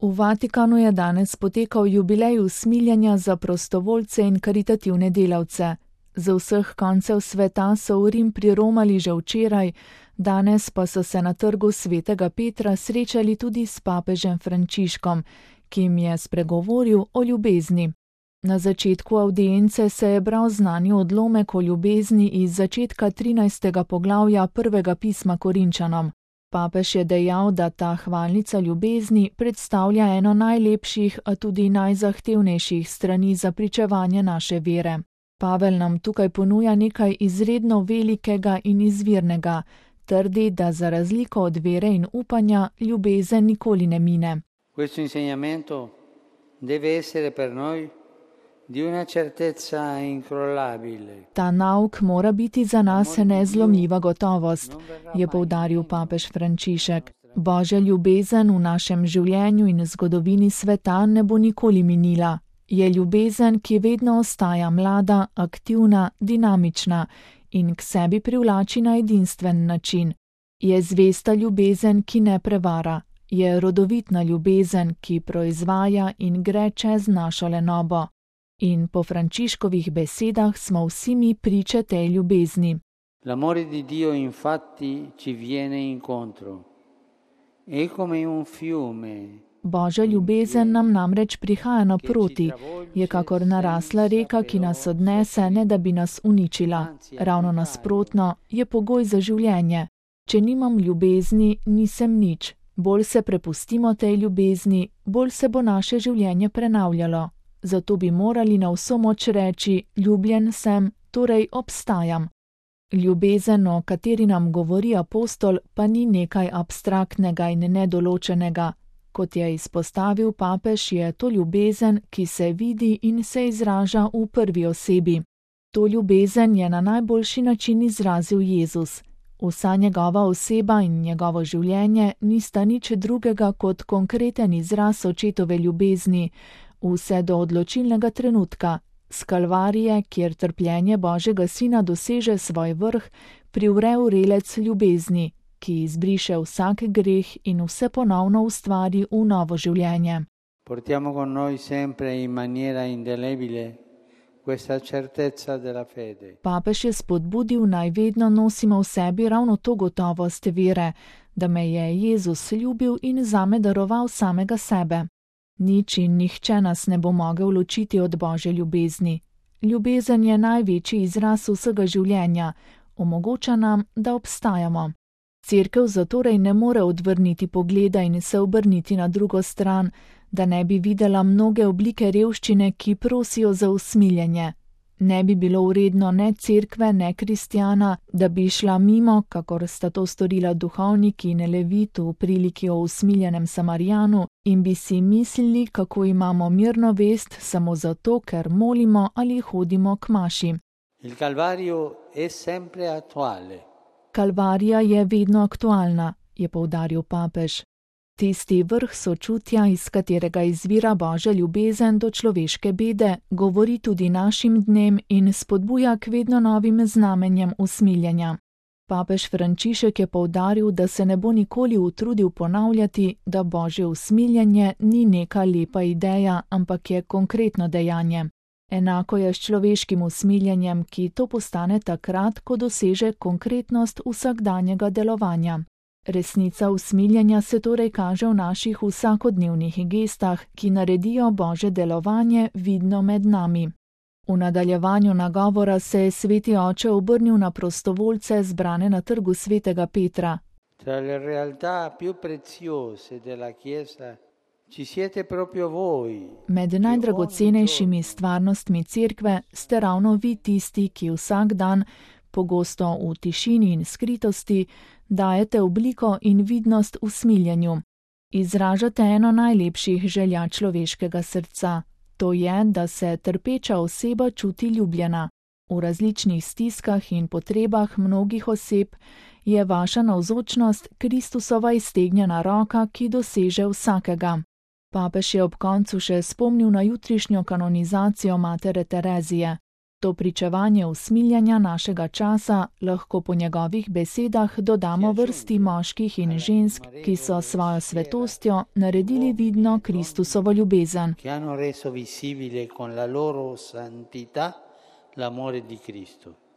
V Vatikanu je danes potekal jubilej usmiljenja za prostovoljce in karitativne delavce. Z vseh koncev sveta so v Rim priromali že včeraj, danes pa so se na trgu svetega Petra srečali tudi s papežem Frančiškom, ki jim je spregovoril o ljubezni. Na začetku avdience se je bral znani odlomek o ljubezni iz začetka 13. poglavja prvega pisma Korinčanom. Papež je dejal, da ta hvalnica ljubezni predstavlja eno najlepših, a tudi najzahtevnejših strani za pričevanje naše vere. Pavel nam tukaj ponuja nekaj izredno velikega in izvirnega, trdi, da za razliko od vere in upanja ljubezen nikoli ne mine. Questo insegnamento deve essere per noi di una certezza incrollabile. Ta nauk mora biti za nas nezlomljiva gotovost, je poudaril papež Frančišek. Božja ljubezen v našem življenju in zgodovini sveta ne bo nikoli minila. Je ljubezen, ki vedno ostaja mlada, aktivna, dinamična in k sebi privlači na edinstven način. Je zvesta ljubezen, ki ne prevara. Je rodovitna ljubezen, ki proizvaja in gre čez našo lenobo. In po Frančiškovih besedah smo vsi mi priče tej ljubezni. L'amore di Dio infatti ci viene incontro. È come un fiume. Božja ljubezen nam namreč prihaja naproti, je kakor narasla reka, ki nas odnese, ne da bi nas uničila. Ravno nasprotno, je pogoj za življenje. Če nimam ljubezni, nisem nič. Bolj se prepustimo tej ljubezni, bolj se bo naše življenje prenavljalo. Zato bi morali na vso moč reči, ljubljen sem, torej obstajam. Ljubezen, o kateri nam govori apostol, pa ni nekaj abstraktnega in nedoločenega. Kot je izpostavil papež, je to ljubezen, ki se vidi in se izraža v prvi osebi. To ljubezen je na najboljši način izrazil Jezus. Vsa njegova oseba in njegovo življenje nista nič drugega kot konkreten izraz očetove ljubezni, vse do odločilnega trenutka, s Kalvarije, kjer trpljenje Božjega Sina doseže svoj vrh, privre vrelec ljubezni, ki izbriše vsak greh in vse ponovno ustvari v novo življenje. Portiamo con noi sempre in maniera indelebile questa certezza della fede. Papež je spodbudil, naj vedno nosimo v sebi ravno to gotovost vere, da me je Jezus ljubil in zame daroval samega sebe. Nič in nihče nas ne bo mogel ločiti od Božje ljubezni. Ljubezen je največji izraz vsega življenja, omogoča nam, da obstajamo. Cerkev zatorej ne more odvrniti pogleda in se obrniti na drugo stran, da ne bi videla mnoge oblike revščine, ki prosijo za usmiljenje. Ne bi bilo vredno ne cerkve, ne kristjana, da bi šla mimo, kakor sta to storila duhovnik in levit v priliki o usmiljenem Samarijanu, in bi si mislili, kako imamo mirno vest samo zato, ker molimo ali hodimo k maši. Il Calvario è sempre attuale. Kalvarija je vedno aktualna, je poudaril papež. Tisti vrh sočutja, iz katerega izvira Božja ljubezen do človeške bede, govori tudi našim dnem in spodbuja k vedno novim znamenjem usmiljenja. Papež Frančišek je poudaril, da se ne bo nikoli utrudil ponavljati, da Božje usmiljenje ni neka lepa ideja, ampak je konkretno dejanje. Enako je s človeškim usmiljenjem, ki to postane takrat, ko doseže konkretnost vsakdanjega delovanja. Resnica usmiljenja se torej kaže v naših vsakodnevnih gestah, ki naredijo Božje delovanje vidno med nami. V nadaljevanju nagovora se je sveti oče obrnil na prostovoljce zbrane na trgu svetega Petra. Tra le realtà più preziose della Chiesa ci siete proprio voi. Med najdragocenejšimi stvarnostmi cerkve ste ravno vi tisti, ki vsak dan, pogosto v tišini in skritosti, dajete obliko in vidnost usmiljenju. Izražate eno najlepših želja človeškega srca. To je, da se trpeča oseba čuti ljubljena. V različnih stiskah in potrebah mnogih oseb je vaša navzočnost Kristusova iztegnjena roka, ki doseže vsakega. Papež je ob koncu še spomnil na jutrišnjo kanonizacijo matere Terezije. To pričevanje usmiljanja našega časa lahko po njegovih besedah dodamo vrsti moških in žensk, ki so svojo svetostjo naredili vidno Kristusovo ljubezen. Che hanno reso visibile con la loro santità l'amore di Cristo.